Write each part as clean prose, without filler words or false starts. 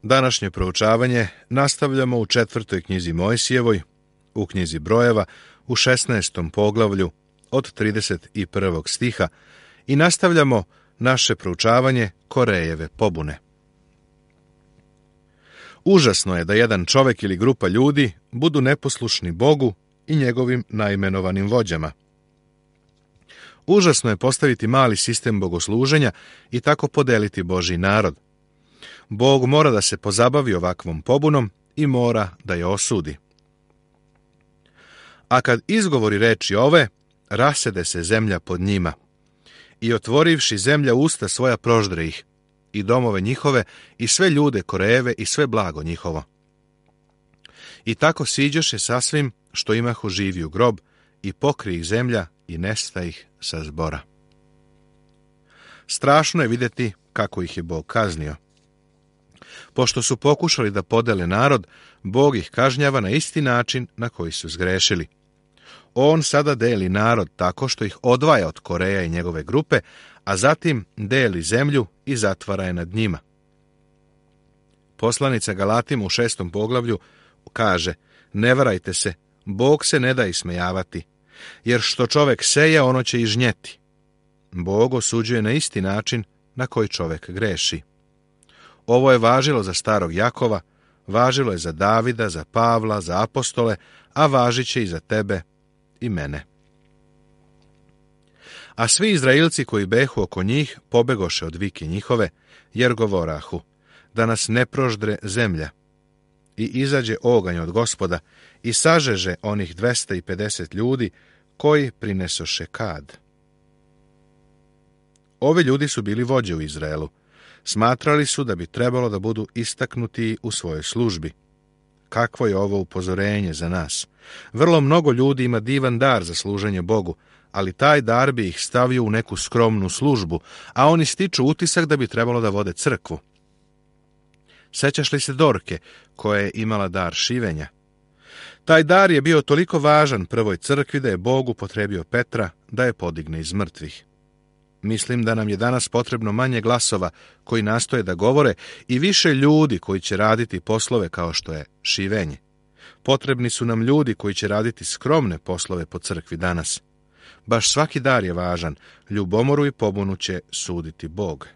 Današnje proučavanje nastavljamo u 4. knjizi Mojsijevoj, u knjizi Brojeva, u 16. poglavlju od 31. stiha i nastavljamo naše proučavanje Korejeve pobune. Užasno je da jedan čovjek ili grupa ljudi budu neposlušni Bogu i njegovim naimenovanim vođama. Užasno je postaviti mali sistem bogosluženja i tako podeliti Božji narod. Bog mora da se pozabavi ovakvom pobunom i mora da je osudi. A kad izgovori reči ove, rasede se zemlja pod njima. I otvorivši zemlja usta svoja proždre ih, i domove njihove, i sve ljude Korejeve, i sve blago njihovo. I tako siđoše sasvim što imahu živi u grob, i pokri ih zemlja, i nesta ih sa zbora. Strašno je vidjeti kako ih je Bog kaznio. Pošto su pokušali da podele narod, Bog ih kažnjava na isti način na koji su zgrešili. On sada deli narod tako što ih odvaja od Koreja i njegove grupe, a zatim deli zemlju i zatvara je nad njima. Poslanica Galatima u 6. poglavlju kaže: ne varajte se, Bog se ne da ismejavati, jer što čovjek seje, ono će i žnjeti. Bog osuđuje na isti način na koji čovjek greši. Ovo je važilo za starog Jakova, važilo je za Davida, za Pavla, za apostole, a važit će i za tebe i mene. A svi Izraelci koji behu oko njih pobegoše od vike njihove, jer govorahu, da nas ne proždre zemlja. I izađe oganj od Gospoda i sažeže onih 250 ljudi koji prinesoše kad. Ovi ljudi su bili vođe u Izraelu. Smatrali su da bi trebalo da budu istaknuti u svojoj službi. Kakvo je ovo upozorenje za nas? Vrlo mnogo ljudi ima divan dar za služenje Bogu, ali taj dar bi ih stavio u neku skromnu službu, a oni stiču utisak da bi trebalo da vode crkvu. Sećaš li se Dorke, koja je imala dar šivenja? Taj dar je bio toliko važan prvoj crkvi da je Bog upotrebio Petra da je podigne iz mrtvih. Mislim da nam je danas potrebno manje glasova koji nastoje da govore i više ljudi koji će raditi poslove kao što je šivenje. Potrebni su nam ljudi koji će raditi skromne poslove po crkvi danas. Baš svaki dar je važan, ljubomoru i pobunu će suditi Bog.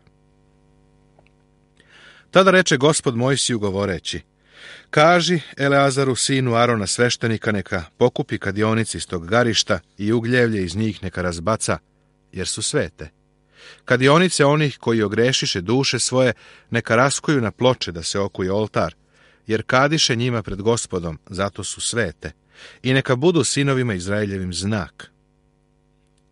Tada reče Gospod Mojsiju govoreći: kaži Eleazaru sinu Arona sveštenika neka pokupi kadionice iz tog garišta i ugljevlje iz njih neka razbaca, jer su svete. Kadionice onih koji ogrešiše duše svoje neka raskuju na ploče da se okuje oltar, jer kadiše njima pred Gospodom, zato su svete, i neka budu sinovima Izraeljevim znak.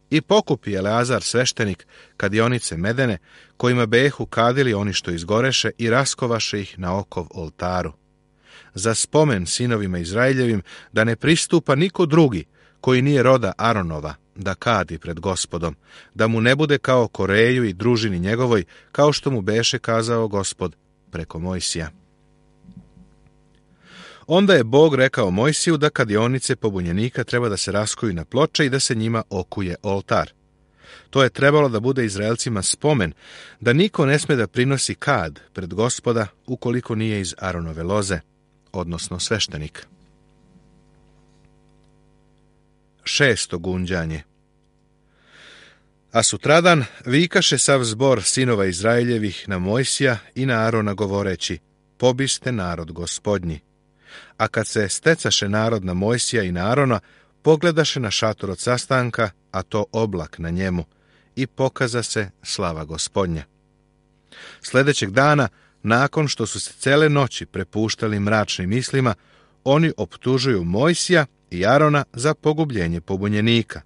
I pokupi Eleazar sveštenik kadionice medene, kojima behu kadili oni što izgoreše i raskovaše ih na okov oltaru. Za spomen sinovima Izraeljevim da ne pristupa niko drugi koji nije roda Aronova, da kadi pred Gospodom, da mu ne bude kao Koreju i družini njegovoj, kao što mu beše kazao Gospod preko Mojsija. Onda je Bog rekao Mojsiju da kadionice pobunjenika treba da se raskuju na ploče i da se njima okuje oltar. To je trebalo da bude Izraelcima spomen, da niko ne sme da prinosi kad pred Gospoda ukoliko nije iz Aronove loze, odnosno sveštenik. 6. gunđanje. A sutradan vikaše sav zbor sinova Izraeljevih na Mojsija i na Arona govoreći: pobiste narod Gospodnji. A kad se stecaše narod na Mojsija i na Arona, pogledaše na šator od sastanka, a to oblak na njemu, i pokaza se slava Gospodnja. Sljedećeg dana, nakon što su se cele noći prepuštali mračnim mislima, oni optužuju Mojsija i Arona za pogubljenje pobunjenika.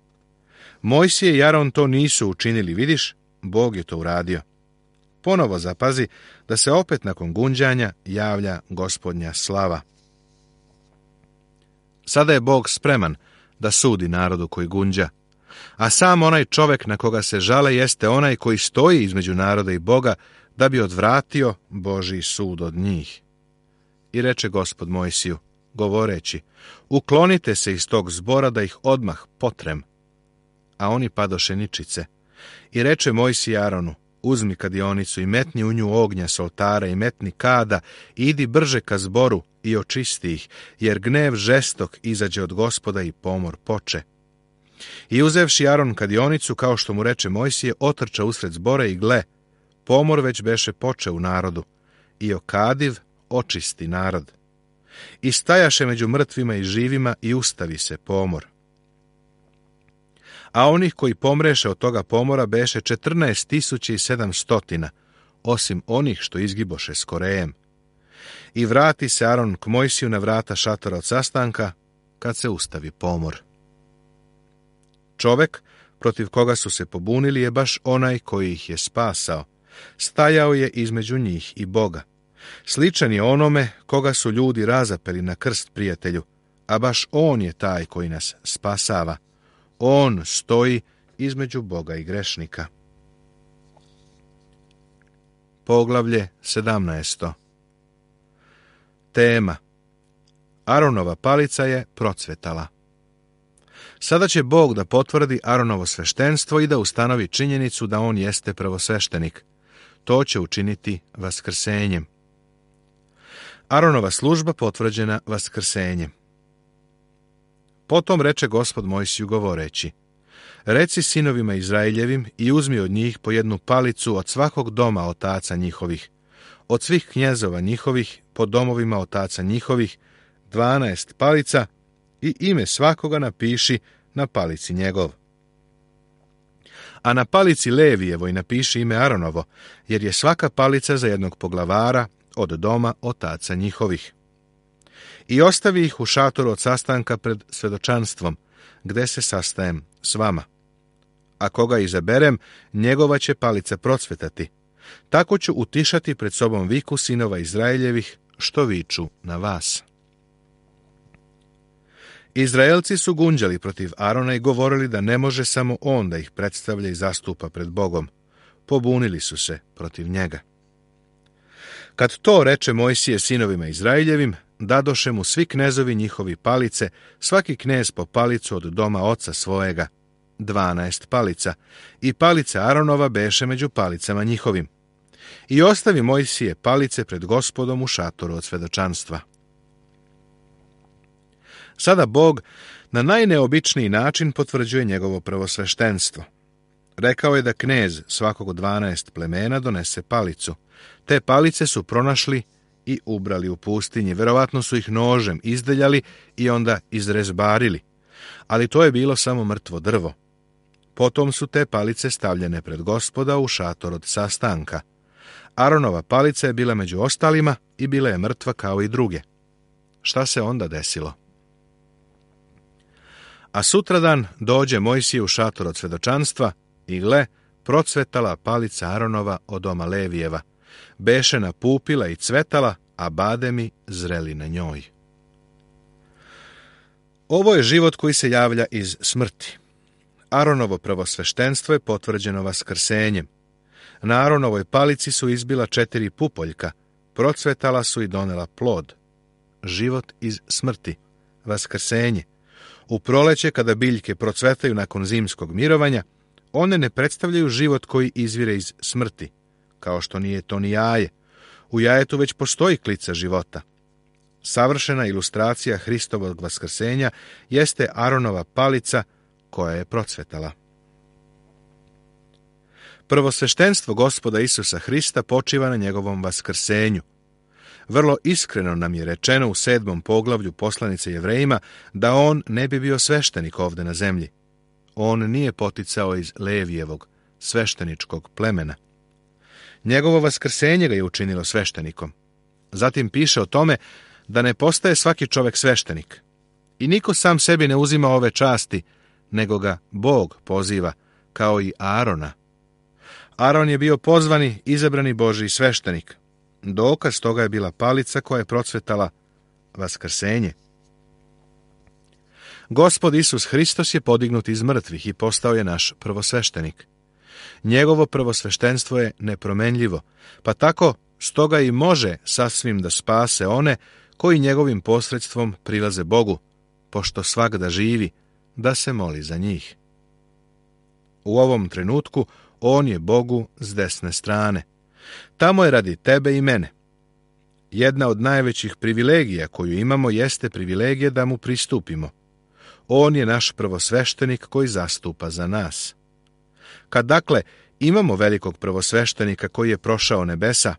Mojsije i Aron to nisu učinili, vidiš, Bog je to uradio. Ponovo zapazi da se opet nakon gunđanja javlja Gospodnja slava. Sada je Bog spreman da sudi narodu koji gunđa, a sam onaj čovjek na koga se žale jeste onaj koji stoji između naroda i Boga da bi odvratio Božji sud od njih. I reče Gospod Mojsiju, govoreći: uklonite se iz tog zbora da ih odmah potrem. A oni padoše ničice. I reče Mojsije Aronu: uzmi kadionicu i metni u nju ognja s oltara i metni kada, idi brže ka zboru i očisti ih, jer gnev žestok izađe od Gospoda i pomor poče. I uzevši Aron kadionicu, kao što mu reče Mojsije, otrča usred zbora i gle, pomor već beše poče u narodu, i okadiv očisti narod. I stajaše među mrtvima i živima i ustavi se pomor. A onih koji pomreše od toga pomora beše 14.700, osim onih što izgiboše s Korejem. I vrati se Aron k Mojsiju na vrata šatora od sastanka, kad se ustavi pomor. Čovek protiv koga su se pobunili je baš onaj koji ih je spasao. Stajao je između njih i Boga. Sličan je onome koga su ljudi razapeli na krst, prijatelju, a baš on je taj koji nas spasava. On stoji između Boga i grešnika. Poglavlje 17. Tema: Aronova palica je procvetala. Sada će Bog da potvrdi Aronovo sveštenstvo i da ustanovi činjenicu da on jeste prvosveštenik. To će učiniti vaskrsenjem. Aronova služba potvrđena vaskrsenjem. Potom reče Gospod Mojsiju govoreći: Reci sinovima Izraeljevim i uzmi od njih po jednu palicu od svakog doma otaca njihovih, od svih knjezova njihovih po domovima otaca njihovih, 12 palica, i ime svakoga napiši na palici njegov. A na palici Levijevoj napiši ime Aronovo, jer je svaka palica za jednog poglavara od doma otaca njihovih. I ostavi ih u šatoru od sastanka pred svedočanstvom, gde se sastajem s vama. A koga izaberem, njegova će palica procvetati. Tako ću utišati pred sobom viku sinova Izraeljevih, što viču na vas. Izraelci su gunđali protiv Arona i govorili da ne može samo on da ih predstavlja i zastupa pred Bogom. Pobunili su se protiv njega. Kad to reče Mojsije sinovima Izraeljevim, dadoše mu svi knezovi njihovi palice, svaki knez po palicu od doma oca svojega, 12 palica, i palica Aronova beše među palicama njihovim. I ostavi Mojsije palice pred Gospodom u šatoru od svedočanstva. Sada Bog na najneobičniji način potvrđuje njegovo prvosveštenstvo. Rekao je da knez svakog od 12 plemena donese palicu. Te palice su pronašli i ubrali u pustinji. Verovatno su ih nožem izdeljali i onda izrezbarili. Ali to je bilo samo mrtvo drvo. Potom su te palice stavljene pred Gospoda u šator od sastanka. Aronova palica je bila među ostalima i bila je mrtva kao i druge. Šta se onda desilo? A sutradan dođe Mojsije u šator od svedočanstva i gle, procvetala palica Aronova od doma Levijeva. Beše napupila i cvetala, a bademi zreli na njoj. Ovo je život koji se javlja iz smrti. Aronovo prvosveštenstvo je potvrđeno vaskrsenjem. Na Aronovoj palici su izbila 4 pupoljka, procvetala su i donela plod. Život iz smrti, vaskrsenje. U proleće, kada biljke procvetaju nakon zimskog mirovanja, one ne predstavljaju život koji izvire iz smrti, kao što nije to ni jaje. U jajetu već postoji klica života. Savršena ilustracija Hristovog vaskrsenja jeste Aronova palica koja je procvetala. Prvosveštenstvo Gospoda Isusa Hrista počiva na njegovom vaskrsenju. Vrlo iskreno nam je rečeno u 7. poglavlju poslanice Jevrejima da on ne bi bio sveštenik ovde na zemlji. On nije poticao iz Levijevog, svešteničkog plemena. Njegovo vaskrsenje ga je učinilo sveštenikom. Zatim piše o tome da ne postaje svaki čovek sveštenik. I niko sam sebi ne uzima ove časti, nego ga Bog poziva, kao i Arona. Aron je bio pozvani, izabrani Božji sveštenik. Dokaz toga je bila palica koja je procvetala, vaskrsenje. Gospod Isus Hristos je podignut iz mrtvih i postao je naš prvosveštenik. Njegovo prvosveštenstvo je nepromenljivo, pa tako stoga i može sasvim da spase one koji njegovim posredstvom prilaze Bogu, pošto svak da živi, da se moli za njih. U ovom trenutku On je Bogu s desne strane. Tamo je radi tebe i mene. Jedna od najvećih privilegija koju imamo jeste privilegija da mu pristupimo. On je naš prvosveštenik koji zastupa za nas. Kad dakle imamo velikog prvosveštenika koji je prošao nebesa,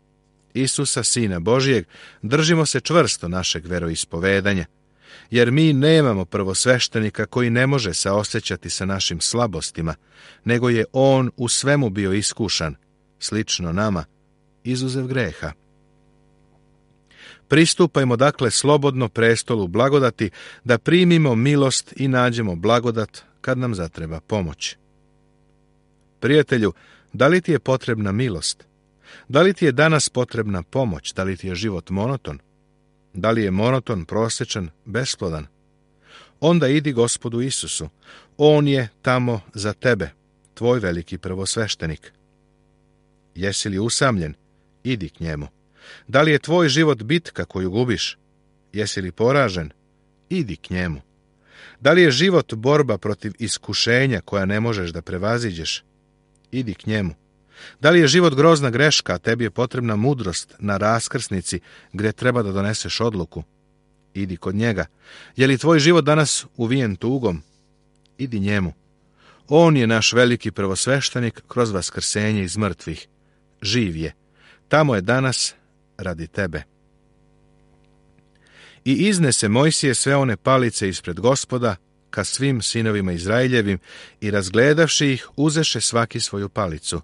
Isusa, Sina Božijeg, držimo se čvrsto našeg veroispovedanja, jer mi nemamo prvosveštenika koji ne može saosećati sa našim slabostima, nego je on u svemu bio iskušan, slično nama, izuzev greha. Pristupajmo dakle slobodno prestolu blagodati da primimo milost i nađemo blagodat kad nam zatreba pomoć. Prijatelju, da li ti je potrebna milost? Da li ti je danas potrebna pomoć? Da li ti je život monoton? Da li je monoton, prosječan, besplodan? Onda idi Gospodu Isusu. On je tamo za tebe, tvoj veliki prvosveštenik. Jesi li usamljen? Idi k njemu. Da li je tvoj život bitka koju gubiš? Jesi li poražen? Idi k njemu. Da li je život borba protiv iskušenja koja ne možeš da prevaziđeš? Idi k njemu. Da li je život grozna greška, a tebi je potrebna mudrost na raskrsnici gdje treba da doneseš odluku? Idi kod njega. Je li tvoj život danas uvijen tugom? Idi njemu. On je naš veliki prvosveštenik kroz vaskrsenje iz mrtvih. Živ je. Tamo je danas radi tebe. I iznese Mojsije sve one palice ispred Gospoda ka svim sinovima Izraeljevim i razgledavši ih, uzeše svaki svoju palicu.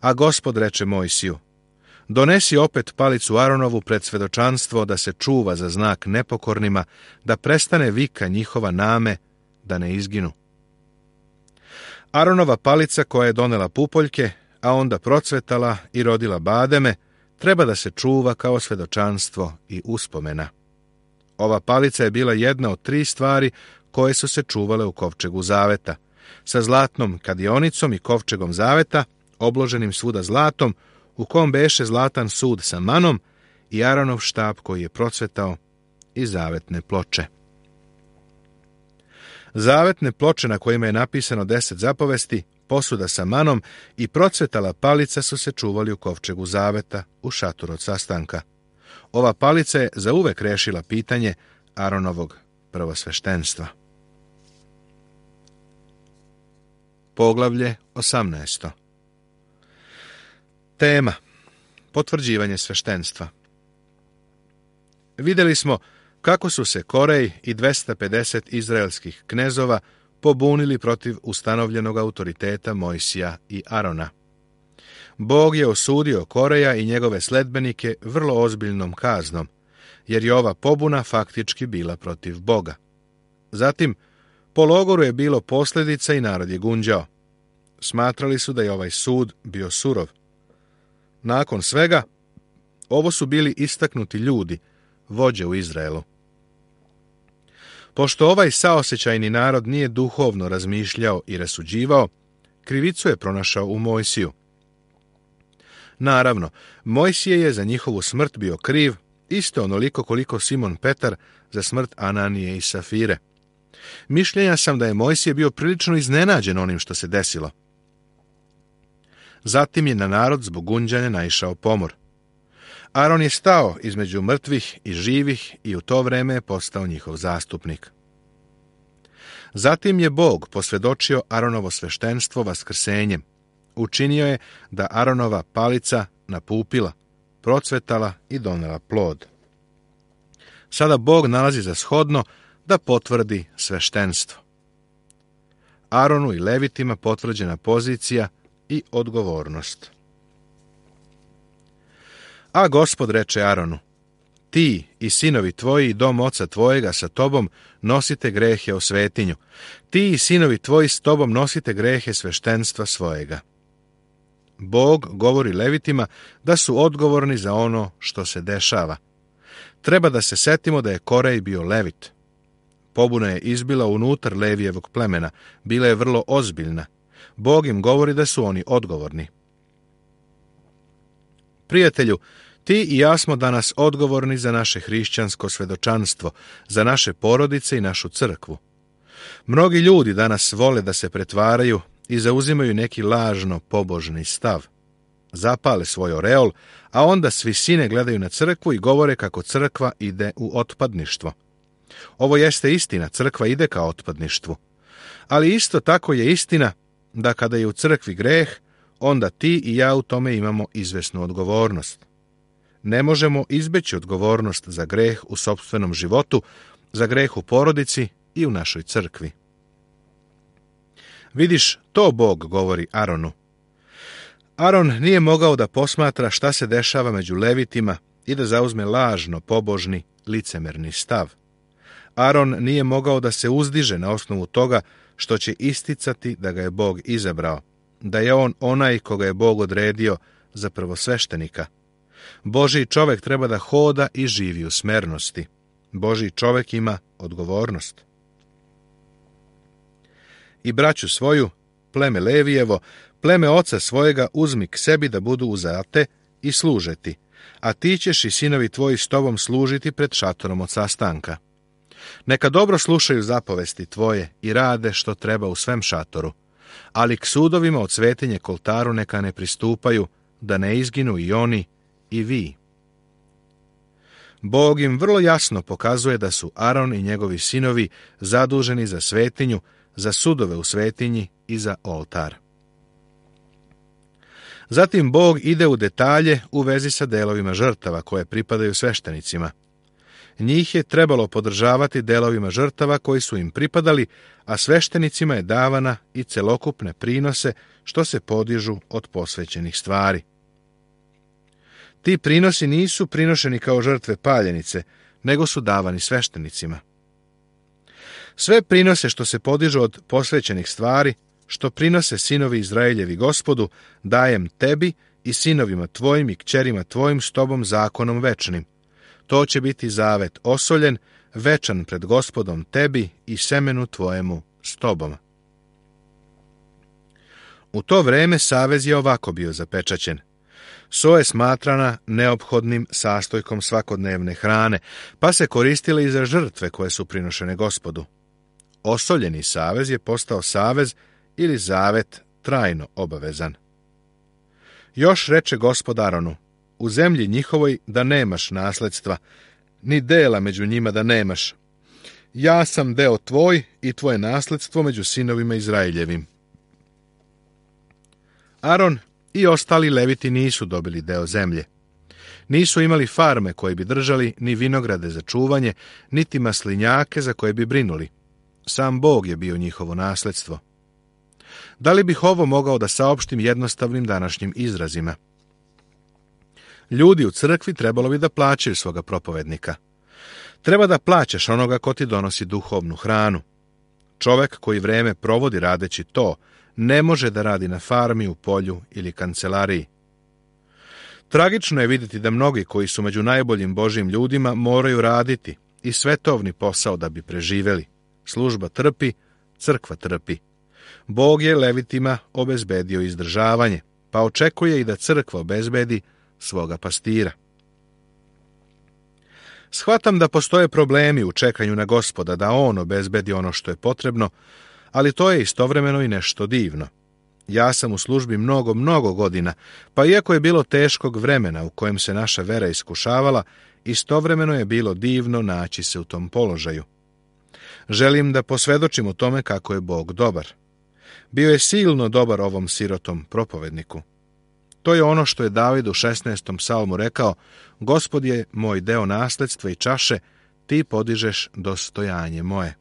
A Gospod reče Mojsiju: donesi opet palicu Aronovu pred svedočanstvo da se čuva za znak nepokornima, da prestane vika njihova name, da ne izginu. Aronova palica koja je donela pupoljke, a onda procvetala i rodila bademe, treba da se čuva kao svedočanstvo i uspomena. Ova palica je bila jedna od 3 stvari koje su se čuvale u kovčegu zaveta, sa zlatnom kadionicom i kovčegom zaveta, obloženim svuda zlatom, u kom beše zlatan sud sa manom i Aronov štap koji je procvetao i zavetne ploče. Zavetne ploče na kojima je napisano 10 zapovesti, posuda sa manom i procvetala palica su se čuvali u kovčegu zaveta u šatoru od sastanka. Ova palica je zauvek rešila pitanje Aronovog prvosveštenstva. Poglavlje 18. Tema: potvrđivanje sveštenstva. Vidjeli smo kako su se Korej i 250 izraelskih knezova pobunili protiv ustanovljenog autoriteta Mojsija i Arona. Bog je osudio Koreja i njegove sledbenike vrlo ozbiljnom kaznom, jer je ova pobuna faktički bila protiv Boga. Zatim, po logoru je bilo posljedica i narod je gunđao. Smatrali su da je ovaj sud bio surov. Nakon svega, ovo su bili istaknuti ljudi, vođe u Izraelu. Pošto ovaj saosećajni narod nije duhovno razmišljao i rasuđivao, krivicu je pronašao u Mojsiju. Naravno, Mojsije je za njihovu smrt bio kriv, isto onoliko koliko Simon Petar za smrt Ananije i Safire. Mišljenja sam da je Mojsije bio prilično iznenađen onim što se desilo. Zatim je na narod zbog gunđanja naišao pomor. Aron je stao između mrtvih i živih i u to vreme je postao njihov zastupnik. Zatim je Bog posvjedočio Aronovo sveštenstvo vaskrsenjem. Učinio je da Aronova palica napupila, procvetala i donela plod. Sada Bog nalazi za shodno da potvrdi sveštenstvo. Aronu i Levitima potvrđena pozicija i odgovornost. A Gospod reče Aronu: ti i sinovi tvoji i dom oca tvojega sa tobom nosite grehe o svetinju. Ti i sinovi tvoji s tobom nosite grehe sveštenstva svojega. Bog govori Levitima da su odgovorni za ono što se dešava. Treba da se setimo da je Korej bio Levit. Pobuna je izbila unutar Levijevog plemena, bila je vrlo ozbiljna. Bog im govori da su oni odgovorni. Prijatelju, ti i ja smo danas odgovorni za naše hrišćansko svedočanstvo, za naše porodice i našu crkvu. Mnogi ljudi danas vole da se pretvaraju i zauzimaju neki lažno pobožni stav. Zapale svoj oreol, a onda s visine gledaju na crkvu i govore kako crkva ide u otpadništvo. Ovo jeste istina, crkva ide ka otpadništvu. Ali isto tako je istina da kada je u crkvi greh, onda ti i ja u tome imamo izvesnu odgovornost. Ne možemo izbeći odgovornost za greh u sopstvenom životu, za greh u porodici i u našoj crkvi. Vidiš, to Bog govori Aronu. Aron nije mogao da posmatra šta se dešava među levitima i da zauzme lažno, pobožni, licemerni stav. Aron nije mogao da se uzdiže na osnovu toga što će isticati da ga je Bog izabrao, da je on onaj koga je Bog odredio za prvosveštenika. Božji čovek treba da hoda i živi u smernosti. Božji čovek ima odgovornost. I braću svoju, pleme Levijevo, pleme oca svojega uzmi k sebi da budu uzate i služeti, a ti ćeš i sinovi tvoji s tobom služiti pred šatorom od sastanka. Neka dobro slušaju zapovesti tvoje i rade što treba u svem šatoru, ali k sudovima od svetinje k oltaru neka ne pristupaju, da ne izginu i oni i vi. Bog im vrlo jasno pokazuje da su Aron i njegovi sinovi zaduženi za svetinju, za sudove u svetinji i za oltar. Zatim Bog ide u detalje u vezi sa delovima žrtava koje pripadaju sveštenicima. Njih je trebalo podržavati delovima žrtava koji su im pripadali, a sveštenicima je davana i celokupne prinose što se podižu od posvećenih stvari. Ti prinosi nisu prinošeni kao žrtve paljenice, nego su davani sveštenicima. Sve prinose što se podižu od posvećenih stvari, što prinose sinovi Izraeljevi Gospodu, dajem tebi i sinovima tvojim i kćerima tvojim s tobom zakonom večnim. To će biti zavet osoljen, večan pred Gospodom tebi i semenu tvojemu s tobom. U to vreme savez je ovako bio zapečaćen. So je smatrana neophodnim sastojkom svakodnevne hrane, pa se koristile i za žrtve koje su prinošene Gospodu. Osoljeni savez je postao savez ili zavet trajno obavezan. Još reče Gospod Aronu, u zemlji njihovoj da nemaš nasledstva, ni dela među njima da nemaš. Ja sam deo tvoj i tvoje nasledstvo među sinovima Izraeljevim. Aron i ostali leviti nisu dobili deo zemlje. Nisu imali farme koje bi držali, ni vinograde za čuvanje, niti maslinjake za koje bi brinuli. Sam Bog je bio njihovo nasledstvo. Da li bih ovo mogao da saopštim jednostavnim današnjim izrazima? Ljudi u crkvi trebalo bi da plaćaju svoga propovednika. Treba da plaćaš onoga ko ti donosi duhovnu hranu. Čovek koji vreme provodi radeći to, ne može da radi na farmi, u polju ili kancelariji. Tragično je vidjeti da mnogi koji su među najboljim Božjim ljudima moraju raditi i svetovni posao da bi preživeli. Služba trpi, crkva trpi. Bog je levitima obezbedio izdržavanje, pa očekuje i da crkva obezbedi svoga pastira. Shvatam da postoje problemi u čekanju na Gospoda, da on obezbedi ono što je potrebno, ali to je istovremeno i nešto divno. Ja sam u službi mnogo godina, pa iako je bilo teškog vremena u kojem se naša vera iskušavala, istovremeno je bilo divno naći se u tom položaju. Želim da posvedočim o tome kako je Bog dobar. Bio je silno dobar ovom sirotom propovedniku. To je ono što je David u 16. psalmu rekao, Gospod je moj deo nasledstva i čaše, ti podižeš dostojanje moje.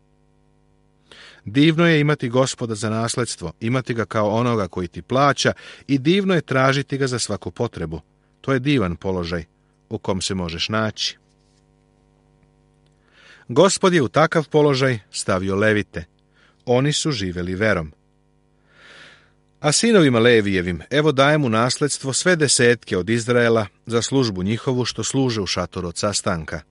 Divno je imati Gospoda za nasledstvo, imati ga kao onoga koji ti plaća i divno je tražiti ga za svaku potrebu. To je divan položaj u kom se možeš naći. Gospod je u takav položaj stavio levite. Oni su živeli verom. A sinovima Levijevim, evo dajem u nasledstvo sve desetke od Izraela za službu njihovu što služe u šatoru od sastanka.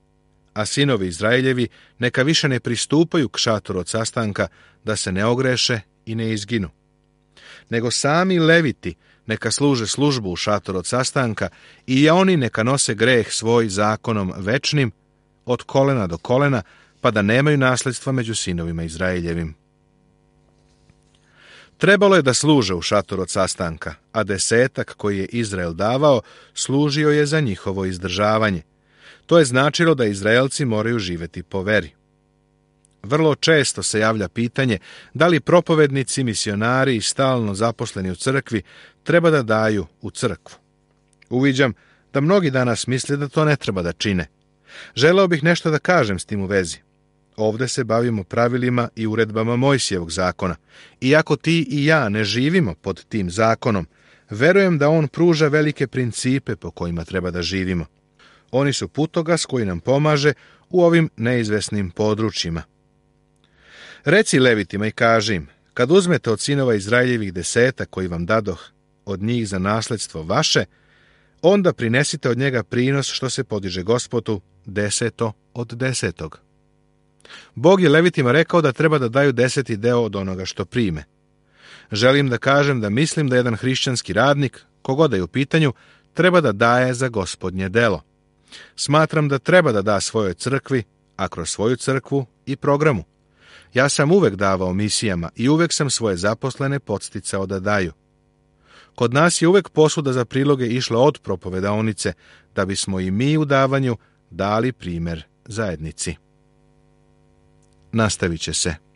A sinovi Izraeljevi neka više ne pristupaju k šatoru od sastanka da se ne ogreše i ne izginu. Nego sami leviti neka služe službu u šatoru od sastanka i oni neka nose greh svoj zakonom večnim od kolena do kolena, pa da nemaju nasledstva među sinovima Izraeljevim. Trebalo je da služe u šatoru od sastanka, a 10 koji je Izrael davao služio je za njihovo izdržavanje. To je značilo da Izraelci moraju živjeti po veri. Vrlo često se javlja pitanje da li propovednici, misionari i stalno zaposleni u crkvi treba da daju u crkvu. Uviđam da mnogi danas misle da to ne treba da čine. Želeo bih nešto da kažem s tim u vezi. Ovde se bavimo pravilima i uredbama Mojsijevog zakona. Iako ti i ja ne živimo pod tim zakonom, verujem da on pruža velike principe po kojima treba da živimo. Oni su putokaz koji nam pomaže u ovim neizvesnim područjima. Reci Levitima i kaži im, kad uzmete od sinova Izraeljevih 10 koji vam dadoh od njih za nasledstvo vaše, onda prinesite od njega prinos što se podiže Gospodu 10 od 10. Bog je Levitima rekao da treba da daju 10. deo od onoga što prime. Želim da kažem da mislim da jedan hrišćanski radnik, kogoda je u pitanju, treba da daje za Gospodnje delo. Smatram da treba da da svojoj crkvi, a kroz svoju crkvu i programu. Ja sam uvek davao misijama i uvek sam svoje zaposlene podsticao da daju. Kod nas je uvek posuda za priloge išla od propovedaonice, da bismo i mi u davanju dali primer zajednici. Nastavit će se.